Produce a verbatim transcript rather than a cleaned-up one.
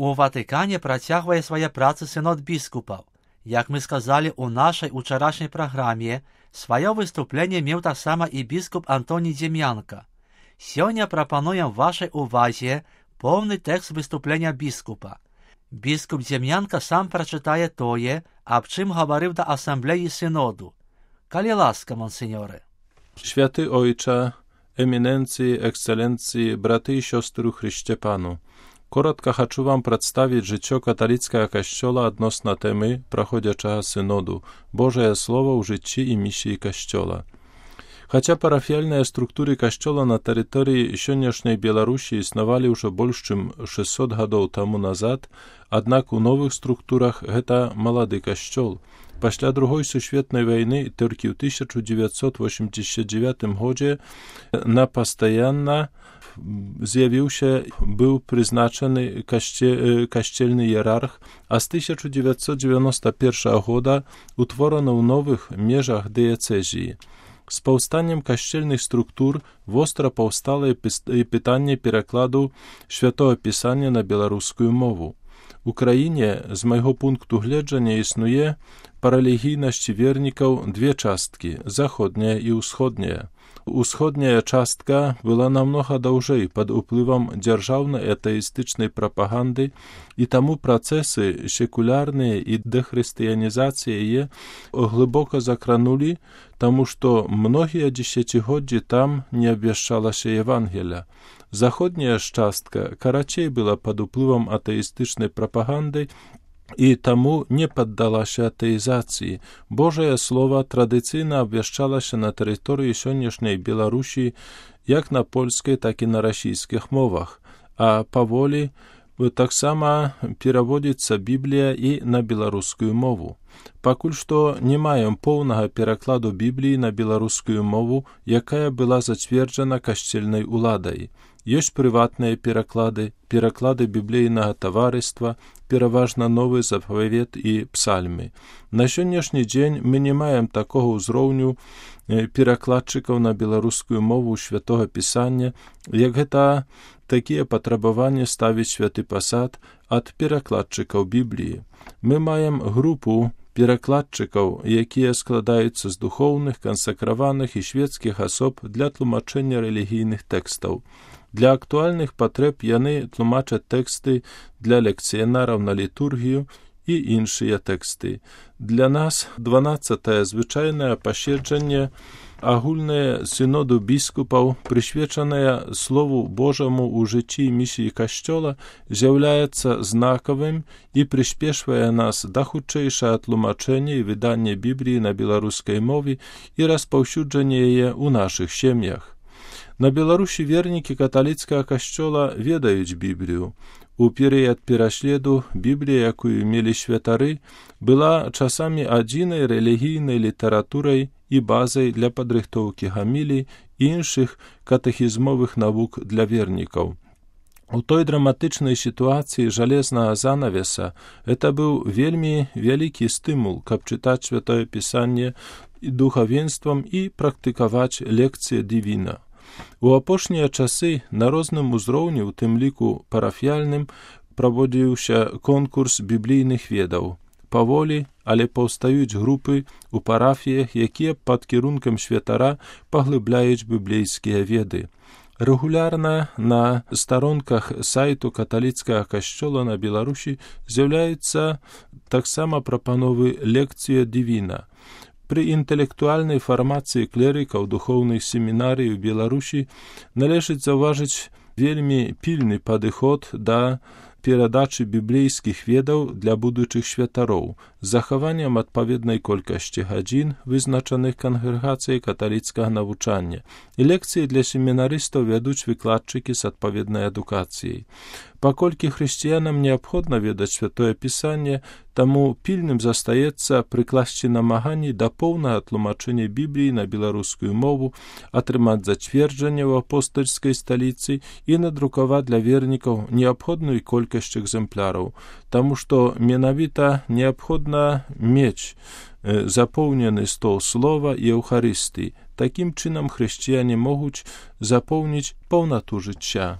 У Ватикані працягвае свае працы синод біскупаў. Як мы сказалі ў нашай учарашняй праграме, сваё выступленне меў таксама і біскуп Антоній Дзем'янка. Сёння прапануем вашай увазе поўны тэкст выступлення біскупа. Біскуп Дзем'янка сам прачытае тое, аб чым гаварыў да асамблеі synodu. Калі ласка, монсеньоре. Święty Ojcze, eminencji, ekscelencji, braty i siostry u Chryście Panu. Коротко хочу вам представить життя католицького Костьола відносно теми проходячого синоду «Божие Слово у житті і місії Костьола». Хотя парафіяльные структуры Костьола на территории сённяшняй Беларусі існавалі ўжо больш чым шэсцьсот гадоў таму назад, аднак у новых структурах гэта малады Костьол. Пасля Другой сусветнай вайны толькі ў тысяча дзевяцьсот восемьдесят девятым годзе на пастаянна з'явіўся, быў прызначаны касце, касцельны іерарх, а з тысяча дзевяцьсот дзевяносто першага года утворана ў новых межах дыяцэзіі. З паўстаннем касцельных структур востра паўстала і пытанне перакладу Святого Пісання на беларускую мову. У краіне, з майго пункту гледжання, існуе па рэлігійнасці вернікаў две часткі – заходняя і ўсходняя. Усходняя частка была намнога даўжэй пад уплывам дзяржаўнай атэістычнай прапаганды, і таму працэсы секулярныя і дэхрысціянізацыі яе глыбока закранулі, таму што многія дзесяцігоддзі там не абвяшчалася Евангелія. Заходняя ж частка карацей была пад уплывам атэістычнай прапаганды і таму не паддалася атэізацыі. Божае Слова традыцыйна абвяшчалася на тэрыторыі сённяшняй Беларусі як на польскай, так і на расійскіх мовах, а паволі таксама пераводзіцца Біблія і на беларускую мову. Пакуль што не маем поўнага перакладу Бібліі на беларускую мову, якая была зацверджана касцельнай уладай. Ёсць прыватныя пераклады, пераклады біблейнага таварыства, пераважна Новы Запавет і Псальмы. На сённяшні дзень мы не маем такога ўзроўню перакладчыкаў на беларускую мову Святога Пісання, як гэта такія патрабаванні ставіць Святы Пасад ад перакладчыкаў Бібліі. Мы маем групу перакладчыкаў, якія складаюцца з духоўных, кансакраваных і свецкіх асоб для тлумачэння рэлігійных тэкстаў. Для актуальных патрэб яны тлумачаць тэксты для лекцыянараў на літургію і іншыя тэксты. Для нас дванаццатае звычайнае паседжанне агульнае синоду біскупаў, прысвечанае Слову Божаму ў жыцці і місіі Касцёла, з'яўляецца знакавым і прыспешвае нас да хутчэйшага тлумачэння і выдання Бібліі на беларускай мове і распаўсюджання яе ў нашых сем'ях. На Беларусі вернікі каталіцкага касцёла ведаюць Біблію. У перыяд пераследу Біблія, якую мелі святары, была часамі адзінай рэлігійнай літаратурай і базай для падрыхтоўкі гамілій і іншых катэхізмовых навук для вернікаў. У той драматычнай сітуацыі жалезнага занавеса гэта быў вельмі вялікі стымул, каб чытаць Святое Пісанне духавенствам і практыкаваць лекцыі дывіна. У апошнія часы на розным узроўні, у тым ліку парафіяльным, праводзіўся конкурс біблійных ведаў. Паволі, але паўстаюць групы ў парафіях, якія пад кірункам святара паглыбляюць біблейскія веды. Рэгулярна на старонках сайту каталіцкага касцёла на Беларусі з'яўляюцца таксама прапановы лекцыя дывіна. Пры інтэлектуальнай фармацыі клерыкаў духоўных семінарый у Беларусі належыць заўважыць вельмі пільны падыход да перадачы біблейскіх ведаў для будучых святароў з захаваннем адпаведнай колькасці гадзін, вызначаных кангрэгацыяй каталіцкага навучання, і лекцыі для семінарыстаў вядуць выкладчыкі з адпаведнай адукацыяй. Паколькі хрысціянам неабходна ведаць Святое Пісанне, таму пільным застаецца прыкласці намаганні да поўнага тлумачэння Бібліі на беларускую мову, атрымаць зацверджанне ў апостальскай сталіцы і надрукаваць для вернікаў неабходную колькасць экземпляраў, таму што менавіта неабходна мець запоўнены стол слова і Еўхарыстыі. Такім чынам хрысціяне могуць запоўніць паўнату жыцця.